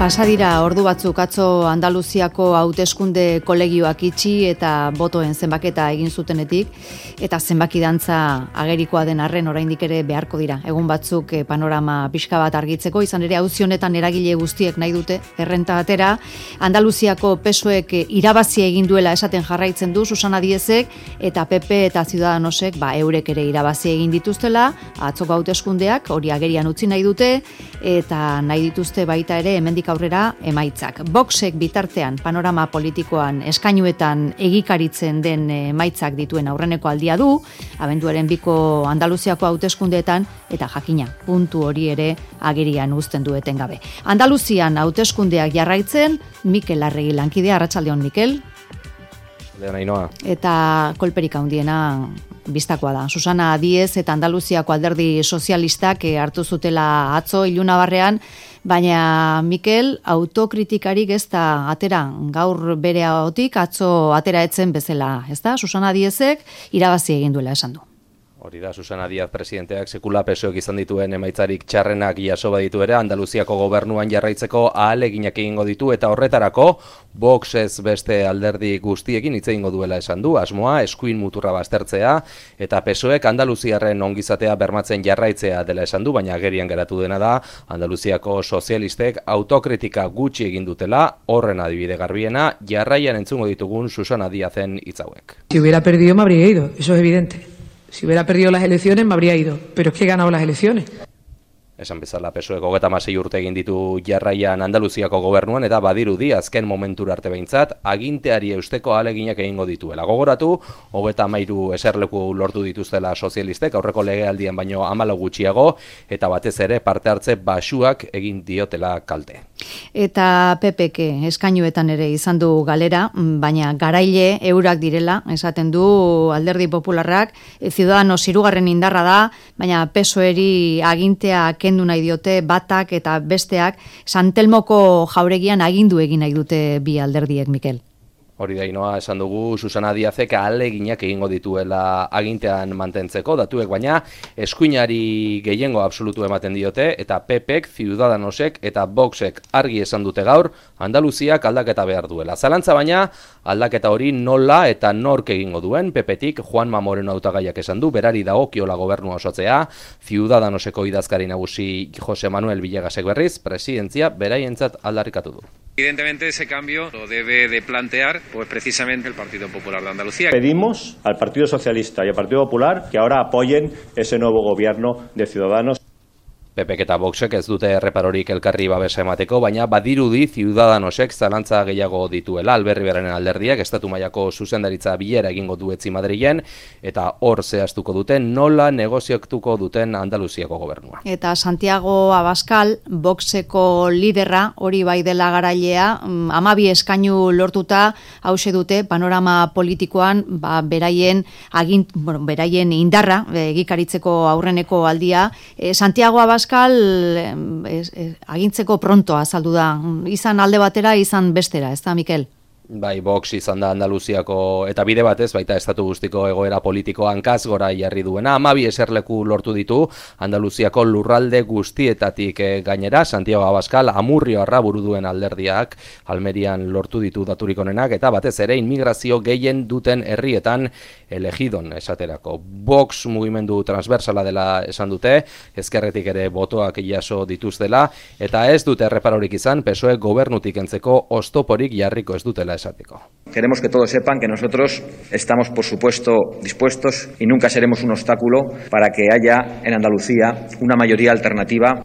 Pasadira ordu batzuk atzo Andaluziako hauteskunde kolegioak itxi eta botoen zenbaketa egin zutenetik, eta zenbaki dantza agerikoa den arren oraindik ere beharko dira. Egun batzuk panorama pixka bat argitzeko, izan ere auzi honetan eragile guztiek nahi dute errenta atera. Andaluziako PSOEk irabazi egin duela esaten jarraitzen du Susana Diezek, eta PP eta Ciudadanosek eurek ere irabazi egin dituztela, atzoko hauteskundeak hori agerian utzi nahi dute, eta nahi dituzte baita ere hemendik aurrera emaitzak. Voxek bitartean panorama politikoan eskainuetan egikaritzen den emaitzak dituen aurreneko aldia du, abenduaren 2ko Andaluziako hauteskundeetan, eta jakina, puntu hori ere agerian uzten du etengabe. Andaluzian hauteskundeak jarraitzen, Mikel Arregi lankidea, arratsaldeon Mikel. Leonainoa. Eta kolperik handiena bistakoa da. Susana Diez eta Andaluziako alderdi sozialistak hartu zutela atzo ilunabarrean, baina Mikel autokritikarik ez da atera gaur bere ahotik, atzo atera etzen bezala, ez da? Susana Diezek irabazi egin duela esan du. Hori da, Susana Díaz presidenteak sekula PSOEk izan dituen emaitzarik txarrenak jaso baditu ere, Andaluziako gobernuan jarraitzeko ahaleginak egingo ditu, eta horretarako Vox ez beste alderdi guztiekin hitz egingo duela esan du, asmoa eskuin muturra baztertzea, eta PSOEk Andaluziarren ongizatea bermatzen jarraitzea dela esan du, baina agerian geratu dena da, Andaluziako sozialistek autokritika gutxi egin dutela, horren adibide garbiena, jarraian entzungo ditugun Susana Díazen hitz hauek. Si hubiera perdido me habría ido, eso es evidente. Si hubiera perdido las elecciones me habría ido, pero es que he ganado las elecciones. Esan bezala PSOEk 36 urte egin ditu jarraian Andaluziako gobernuan, eta badirudi azken momentura arte behintzat aginteari eusteko ahaleginak egingo dituela. Gogoratu, 33 eserleku lortu dituztela sozialistek, aurreko legealdian baino 14 gutxiago, eta batez ere parte hartze baxuak egin diotela kalte. Eta PPk eskainuetan ere izan du galera, baina garaile eurak direla, esaten du Alderdi Popularrak, Ciudadanos 3. indarra da, baina PSOEri agintea kendu nahi diote batak eta besteak, Santelmoko jauregian agindu egin nahi dute bi alderdiek, Mikel. Hori da, Inoa, esan dugu Susana Díazek ahaleginak egingo dituela agintean mantentzeko, datuek baina eskuinari gehiengo absolutu ematen diote, eta PPek, Ciudadanosek eta Voxek argi esan dute gaur, Andaluziak aldaketa behar duela. Zalantza baina, aldaketa hori nola eta nork egingo duen, PPtik Juanma Moreno hautagaiak esan du, berari dagokiola gobernua osatzea, Ciudadanoseko idazkari nagusi Jose Manuel Villegasek berriz, presidentzia beraientzat aldarrikatu du. Evidentemente ese cambio lo debe de plantear pues precisamente el Partido Popular de Andalucía. Pedimos al Partido Socialista y al Partido Popular que ahora apoyen ese nuevo gobierno de Ciudadanos. PPek eta Voxek ez dute erreparorik elkarri babesa emateko, baina badirudi Ciudadanosek zalantza gehiago dituela. Alberriberaren alderdiak estatu mailako zuzendaritza bilera egingo du etzi Madrilen, eta hor zehaztuko duten nola negoziatuko duten Andaluziako gobernua. Eta Santiago Abascal, Voxeko liderra, hori bai dela garailea, 12 eskainu lortuta, hause dute panorama politikoan beraien indarra egikaritzeko aurreneko aldia. Santiago Abascal agintzeko pronto azaldu da. Izan alde batera, izan bestera, ez da, Mikel? Bai, Vox izan da Andaluziako, eta bide batez, baita estatu guztiko egoera politiko hankaz gora jarri duena. 12 eserleku lortu ditu Andaluziako lurralde guztietatik gainera. Santiago Abascal Amurrioarra buru duen alderdiak Almerian lortu ditu daturik onenak, eta batez ere inmigrazio gehien duten herrietan elegidon esaterako. Vox mugimendu transversala dela esan dute, ezkerretik ere botoak jaso dituztela, eta ez dute erreparorik izan PSOE gobernutik entzeko oztoporik jarriko ez dutela esateko. Queremos que todos sepan que nosotros estamos, por supuesto, dispuestos y nunca seremos un obstáculo para que haya en Andalucía una mayoría alternativa.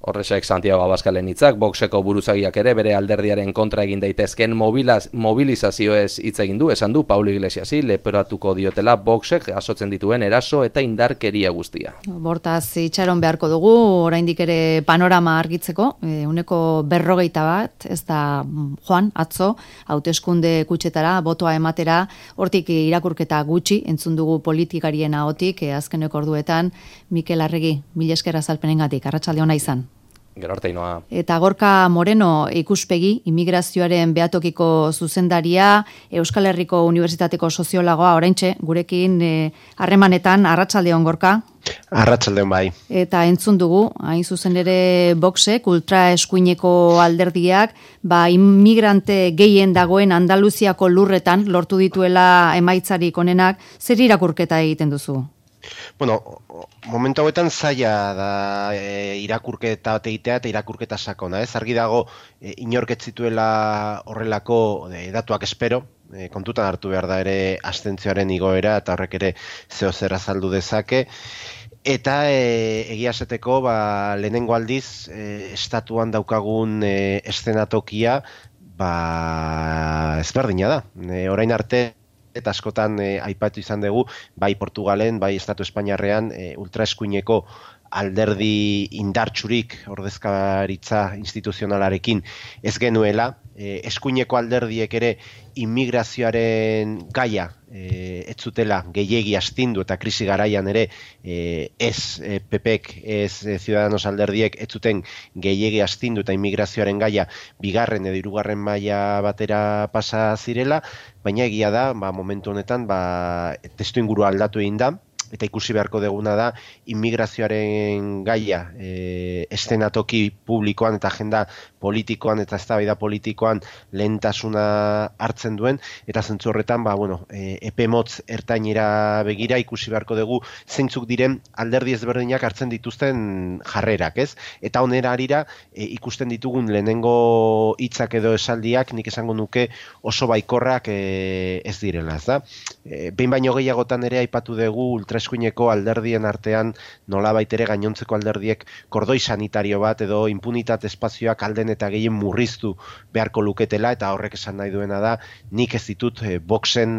Horrexek Santiago Abascalen hitzak, Voxeko buruzagiak ere bere alderdiaren kontra egin daitezken mobilizazioez hitz egin du, esan du Paulo Iglesiasi leporatuko diotela Voxek jasotzen dituen eraso eta indarkeria guztia. Bortaz itxaron beharko dugu, oraindik ere panorama argitzeko, 40%, ez da joan, atzo, hauteskunde kutxetara, botoa ematera, hortik irakurketa gutxi, entzun dugu politikarien ahotik, azkeneko orduetan, Mikel Arregi, mila esker azalpenengatik, arratsalde ona izan. Gero arte inoa. Eta Gorka Moreno ikuspegi, immigrazioaren behatokiko zuzendaria, Euskal Herriko Unibertsitateko soziologoa, oraintxe, gurekin harremanetan, arratsaldeon Gorka. Arratsaldeon bai. Eta entzun dugu, hain zuzen ere Voxek, ultraeskuineko alderdiak, inmigrante gehien dagoen Andaluziako lurretan lortu dituela emaitzarik onenak, zer irakurketa egiten duzu? Bueno, momentu hauetan zaila da irakurketa egitea eta irakurketa sakona, ez? Argi dago inork ez zituela horrelako datuak espero, kontutan hartu behar da ere abstentzioaren igoera eta horrek ere zeo zer azaldu dezake. Eta egia esateko lehenengo aldiz estatuan daukagun eszenatokia ezberdina da. Orain arte eta askotan aipatu izan dugu, bai Portugalen, bai Estatu Espainiarrean ultraeskuineko alderdi indartsurik ordezkaritza instituzionalarekin ez genuela, eskuineko alderdiek ere immigrazioaren gaia ez zutela gehiegi astindu eta krisi garaian ere PPek, Ciudadanos alderdiek ez zuten gehiegi astindu eta immigrazioaren gaia bigarren edo hirugarren maila batera pasa zirela, baina egia da, momentu honetan testuingurua aldatu egin da, eta ikusi beharko deguna da immigrazioaren gaia eszenatoki publikoan eta agenda politikoan eta eztabaida politikoan lehentasuna hartzen duen, eta zentzu horretan epe motz ertainera begira ikusi beharko dugu zeintzuk diren alderdi ezberdinak hartzen dituzten jarrerak, ez? Eta honera harira ikusten ditugun lehenengo hitzak edo esaldiak nik esango nuke oso baikorrak ez direla, ez da? Behin baino gehiagotan ere aipatu dugu ultraeskuineko alderdien artean nolabait ere gainontzeko alderdiek kordoi sanitario bat edo impunitate espazioak alden eta gehien murriztu beharko luketela, eta horrek esan nahi duena da nik ez ditut Voxen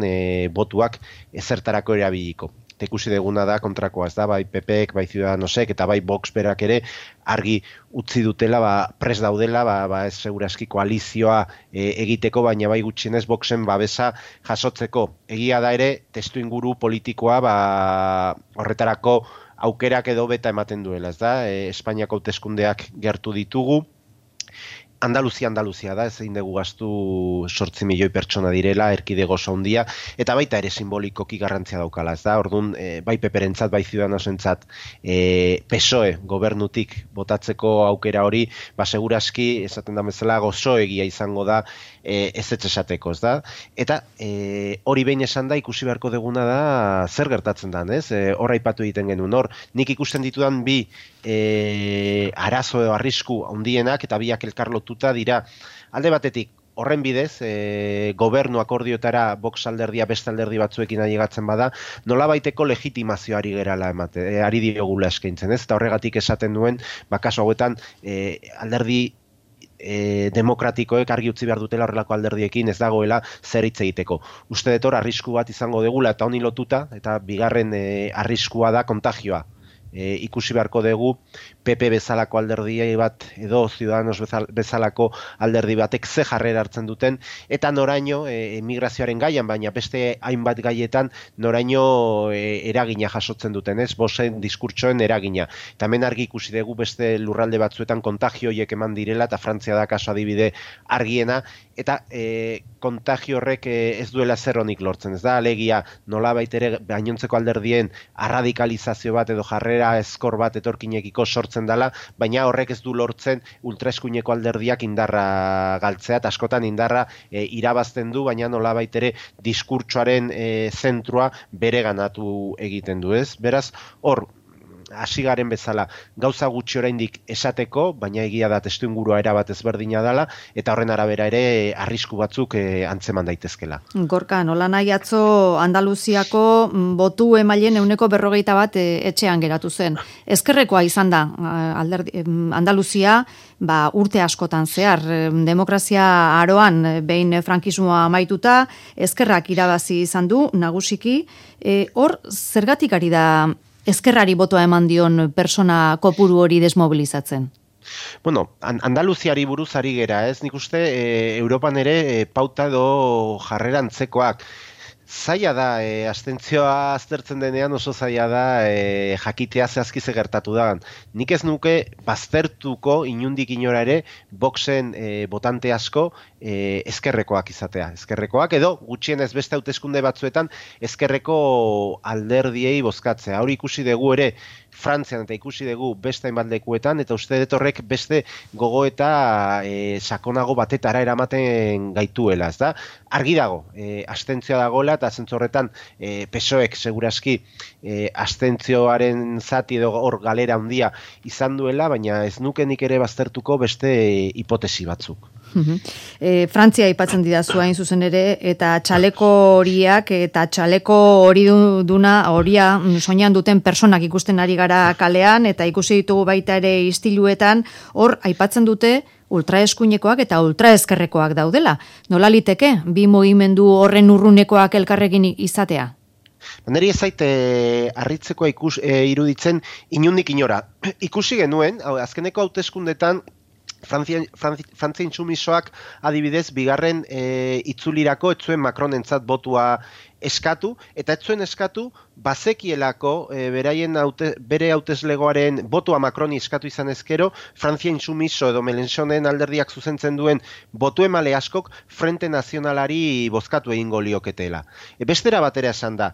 botuak ezertarako erabiliko. Eta ikusi deguna da kontrakoa, ez da, bai PPek, bai Ciudadanosek eta bai Vox berak ere argi utzi dutela, prest daudela, ez segurazki koalizioa egiteko, baina bai gutxienez Voxen babesa jasotzeko. Egia da ere, testuinguru politikoa horretarako aukerak edo beta ematen duela, ez da, Espainiako hauteskundeak gertu ditugu, Andaluzia da, ez egin dugu gastu 8 milioi pertsona direla, erkidego oso handia, eta baita ere simbolikoki garrantzia daukala, ez da, orduan, bai peperentzat, bai Ciudadanosentzat PSOE gobernutik botatzeko aukera hori, segurazki, esaten da bezala, gozoegia izango da ez esateko, ez da, eta hori behin esan da, ikusi beharko deguna da, zer gertatzen da, ez? Hor aipatu egiten genuen, nik ikusten ditudan bi arazo edo arrisku handienak eta biak elkarlotuta dira. Alde batetik, horren bidez, gobernu akordioetara Vox alderdia beste alderdi batzuekin ailegatzen bada, nolabaiteko legitimazioari gerala ari diogula eskaintzen, ez? Eta horregatik esaten duen, kasu hauetan alderdi demokratikoek argi utzi behar dutela horrelako alderdiekin ez dagoela zer hitz egiteko. Uste dut hor arrisku bat izango degula eta honi lotuta, eta bigarren arriskua da kontagioa. Ikusi beharko dugu PP bezalako alderdi bat edo Ciudadanos bezalako alderdi batek ze jarrera hartzen duten, eta noraino emigrazioaren gaian, baina beste hainbat gaietan noraino eragina jasotzen duten, ez? Voxen diskurtsoen eragina. Eta hemen argi ikusi dugu beste lurralde batzuetan kontagio horiek eman direla, eta Frantzia da kaso adibide argiena, eta kontagio horrek ez duela zer honik lortzen, ez da? Alegia nolabait ere gainontzeko alderdien arradikalizazio bat edo jarrera ezkor bat etorkinekiko sortzen dela, baina horrek ez du lortzen ultraeskuineko alderdiak indarra galtzea, eta askotan indarra irabazten du, baina nolabait ere diskurtsoaren zentrua bereganatu egiten du, ez? Beraz, hor, hasi garen bezala gauza gutxi oraindik esateko, baina egia da testuingurua erabat ezberdina dela, eta horren arabera ere arrisku batzuk antzeman daitezkela. Gorka, nola nahi atzo Andaluziako botu emailen 41% etxean geratu zen. Ezkerrekoa izan da Andaluzia urte askotan zehar, demokrazia aroan behin frankismoa amaituta, ezkerrak irabazi izan du nagusiki, hor zergatik ari da ezkerrari botoa eman dion persona kopuru hori desmobilizatzen? Bueno, Andaluziari buruz ari gera, ez? Nik uste Europan ere pauta edo jarrera antzekoak. Zaila da, abstentzioa aztertzen denean oso zaila da jakitea zehazki ze gertatu da. Nik ez nuke baztertuko inundik inora ere Voxen botante asko ezkerrekoak izatea. Ezkerrekoak edo gutxienez beste hauteskunde batzuetan ezkerreko alderdiei bozkatzea. Hori ikusi dugu ere Frantzian eta ikusi dugu beste hainbat lekuetan, eta uste dut horrek beste gogoeta sakonago batetara eramaten gaituela, ez da? Argi dago, abstentzioa dagoela, eta zentzu horretan PSOEk segurazki abstentzioaren zati edo hor galera handia izan duela, baina ez nuke nik ere baztertuko beste hipotesi batzuk. Frantzia aipatzen didazu hain zuzen ere, eta txaleko horiak eta txaleko horia soinean duten personak ikusten ari gara kalean, eta ikusi ditugu baita ere istiluetan, hor aipatzen dute ultraeskuinekoak eta ultraeskerrekoak daudela. Nola liteke bi mugimendu horren urrunekoak elkarrekin izatea? Neri ez zait harritzekoa iruditzen inundik inora. Ikusi genuen, azkeneko hauteskundetan Frantzia intsumisoak adibidez bigarren itzulirako ez zuen Macronentzat botua eskatu, eta ez zuen eskatu bazekielako bere hauteslegoaren botua Macroni eskatu izan ezkero, Frantzia intsumiso edo Melenchonen alderdiak zuzentzen duen botu emale askok Frente Nazionalari bozkatu egingo lioketela. Bestera batera esan da,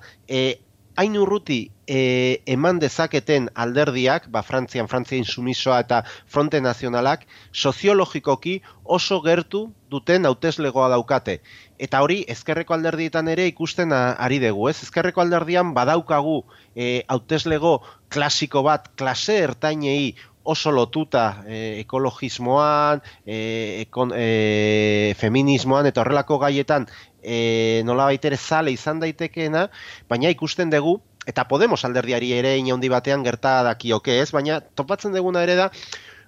hain urruti eman dezaketen alderdiak, Frantzian Frantzia intsumisoa eta Fronte Nazionalak, soziologikoki oso gertu duten hauteslegoa daukate. Eta hori, ezkerreko alderdietan ere ikusten ari dugu, ez? Ezkerreko alderdian badaukagu hauteslego klasiko bat, klase ertainei oso lotuta ekologismoan, feminismoan eta horrelako gaietan nolabait ere zale izan daitekeena, baina ikusten dugu, eta Podemos alderdiari ere inaundi batean gerta dakioke ez, baina topatzen duguna ere da,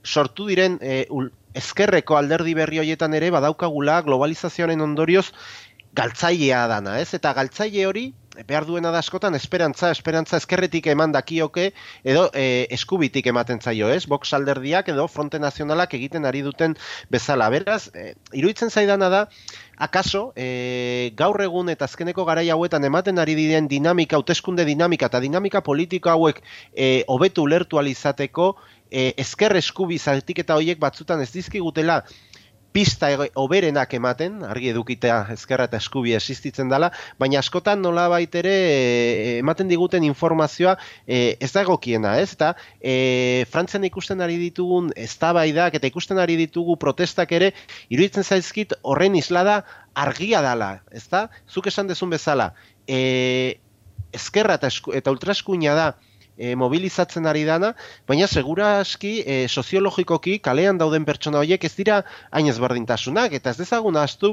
sortu diren ezkerreko alderdi berri horietan ere badaukagula globalizazioaren ondorioz galtzailea dana, ez? Eta galtzaile hori behar duena da askotan esperantza ezkerretik eman dakioke edo eskubitik ematen zaio, ez? Vox alderdiak edo Fronte Nazionalak egiten ari duten bezala. Beraz, iruditzen zaidana da, akaso, gaur egun eta azkeneko garai hauetan ematen ari diren dinamika, hauteskunde dinamika eta dinamika politika hauek hobetu ulertu ahal izateko, ezker eskubi zatiketa horiek batzutan ez dizkigutela pista oberenak ematen, argi edukitea ezkerra eta eskubi existitzen dela, baina askotan nolabait ere ematen diguten informazioa ez da egokiena, ez? Eta Frantzian ikusten ari ditugun eztabaidak eta ikusten ari ditugu protestak ere, iruditzen zaizkit horren islada argia dela, ez da? Zuk esan dezun bezala, ezkerra eta ultraeskuina da mobilizatzen ari dana, baina seguraski soziologikoki kalean dauden pertsona horiek ez dira hain ezberdintasunak, eta ez dezagun ahaztu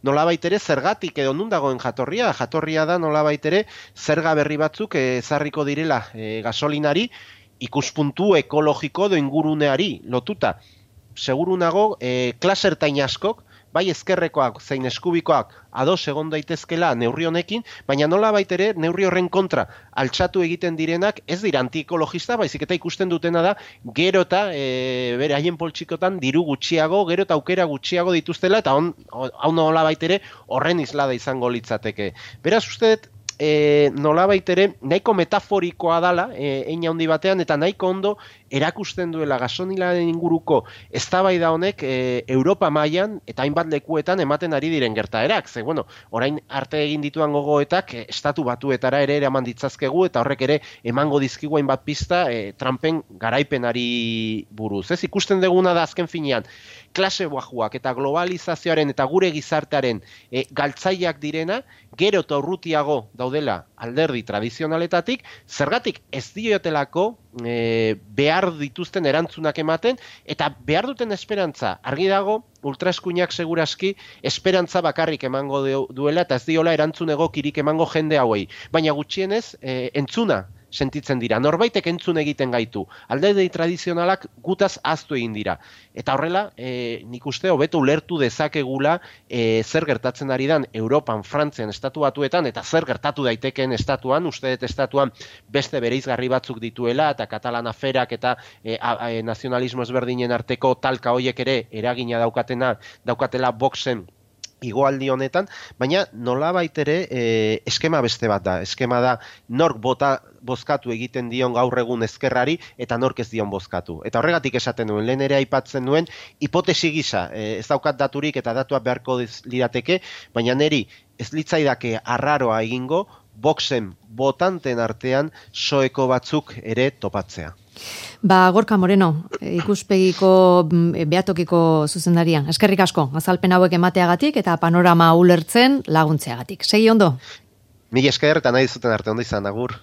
nolabait ere zergatik edo nun dagoen jatorria da nolabait ere zerga berri batzuk ezarriko direla gasolinari ikuspuntu ekologiko edo inguruneari lotuta. Seguru nago klase ertain askok bai ezkerrekoak zein eskubikoak ados egon daitezkela neurri honekin, baina nolabait ere neurri horren kontra altxatu egiten direnak ez dira antiekologista, baizik eta ikusten dutena da gero eta bere haien poltsikotan diru gutxiago, gero eta aukera gutxiago dituztela, eta hau nolabait ere horren islada izango litzateke. Beraz uste dut, nolabait ere nahiko metaforikoa dala hein handi batean, eta nahiko ondo erakusten duela gasolinaren inguruko eztabaida honek Europa mailan eta hainbat lekuetan ematen ari diren gertaerak. Ze bueno, orain arte egin dituan gogoetak estatu batuetara ere eraman ditzazkegu, eta horrek ere emango dizkigu hainbat pista Trumpen garaipenari buruz. Ez ikusten duguna da azken finean klase bajuak eta globalizazioaren eta gure gizartearen galtzaileak direna, gero eta urrutiago daudela alderdi tradizionaletatik, zergatik ez diotelako behar dituzten erantzunak ematen, eta behar duten esperantza, argi dago, ultraeskuinak segurazki esperantza bakarrik emango duela, eta ez diola erantzun egokirik emango jende hauei. Baina gutxienez, entzuna sentitzen dira. Norbaitek entzun egiten gaitu. Alderdi tradizionalak gutaz ahaztu egin dira. Eta horrela, nik uste hobeto ulertu dezakegula zer gertatzen ari dan Europan, Frantzian, estatu batuetan, eta zer gertatu daitekeen estatuan, uste dut estatuan beste bereizgarri batzuk dituela, eta katalan aferak eta nazionalismo ezberdinen arteko talka hoiek ere eragina daukatela Voxen igoaldi honetan, baina nolabait ere eskema beste bat da. Eskema da nork bozkatu egiten dion gaur egun ezkerrari eta nork ez dion bozkatu. Eta horregatik esaten duen, lehen ere aipatzen duen, hipotesi gisa, ez daukat daturik eta datuak beharko lirateke, baina neri ez litzaidake arraroa egingo, Voxen botanten artean soeko batzuk ere topatzea. Gorka Moreno, ikuspegiko behatokiko zuzendaria. Eskerrik asko, azalpen hauek emateagatik eta panorama ulertzen laguntzeagatik. Segi ondo? Mila esker eta nahi zuten arte ondo izan, agur.